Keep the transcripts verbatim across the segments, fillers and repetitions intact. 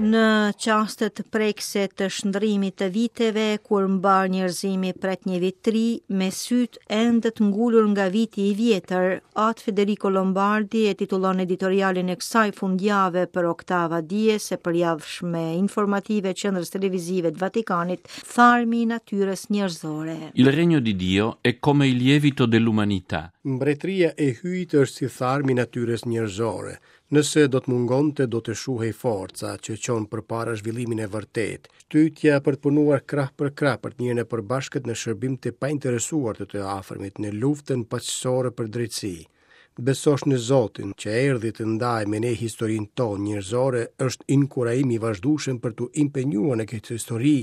Në çastet prekëse të shndrimit të viteve, kur mbarë njerëzimi pret një vit të ri, me sytë ende të ngulur nga viti i vjetër, At Federico Lombardi e titullon editorialin e kësaj fundjave për Oktava Dies e përjavshme informative Qendrës Televizive të Vatikanit, Tharmi i natyrës njerëzore. Il regno di Dio è come il lievito dell'umanità. Mbretëria e Hyjit është si tharmi i natyrës njerëzore. Nëse do të mungonte, do të shuhej forca që çon përpara zhvillimin e vërtetë. Shtytja për të punuar krah për krah për të mirën e përbashkët në shërbim të painteresuar të të afërmit në luftën paqësore për drejtësi. Të besosh në Zotin që erdhi të ndajë me ne historinë tonë njerëzore është inkurajim i vazhdueshëm për t'u impenjuar në këtë histori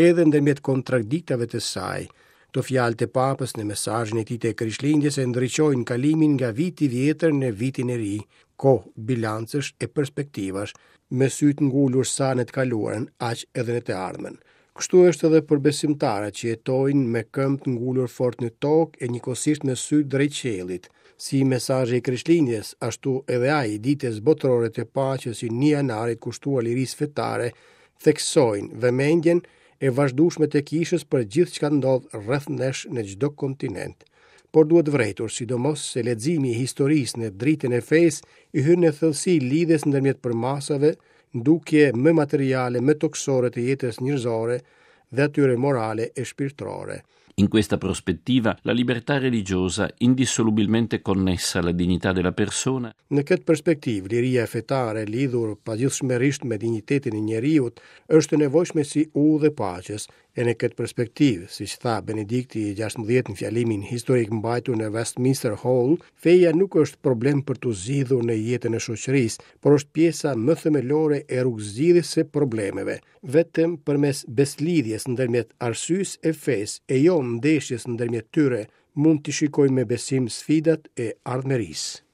edhe ndërmjet kontradiktave të saj. Këto fjalë të Papës në mesazhin e tij të Krishtlindjes e ndriçojnë kalimin nga viti i vjetër në vitin e ri, kohë bilancesh e perspektivash, me sytë ngulur sa në të kaluarën, aq edhe në të ardhmen. Kështu është edhe për besimtarët që jetojnë me këmbë të ngulur fort në tokë e njëkohësisht me sytë drejt qiellit. Si mesazhi i Krishtlindjes, ashtu edhe ai i ditës botërore të paqes i një janarit kushtuar lirisë fetare, theksojnë vëmendjen e vazhdueshme të kishës për gjithçka ndodh rreth nesh në çdo kontinent. Por duhet vërejtur, sidomos se leximi i historisë në dritën e fesë i hyn në thellësi lidhjes ndërmjet përmasave, dukje më materiale, më tokësore të jetës njerëzore dhe atyre morale e shpirtërore. In questa prospettiva, la libertà religiosa, indissolubilmente connessa alla dignità della persona, Në këtë perspektivë, liria fetare lidhur pazgjidhshmërisht me dinjitetin e njeriut është e nevojshme si udhë e paqes, e në këtë perspektivë, siç tha Benedikti i gjashtëmbëdhjetë në fjalimin historik mbajtur në Westminster Hall, feja nuk është problem për t'u zgjidhur në jetën e shoqërisë, por është pjesa më themelore e rrugëzgjidhjes së problemeve. Vetëm përmes beslidhjes ndërmjet arsyes e fesë e jo ndeshjes ndërmjet tyre, mund t'i shikojmë me besim sfidat e ardhmërisë.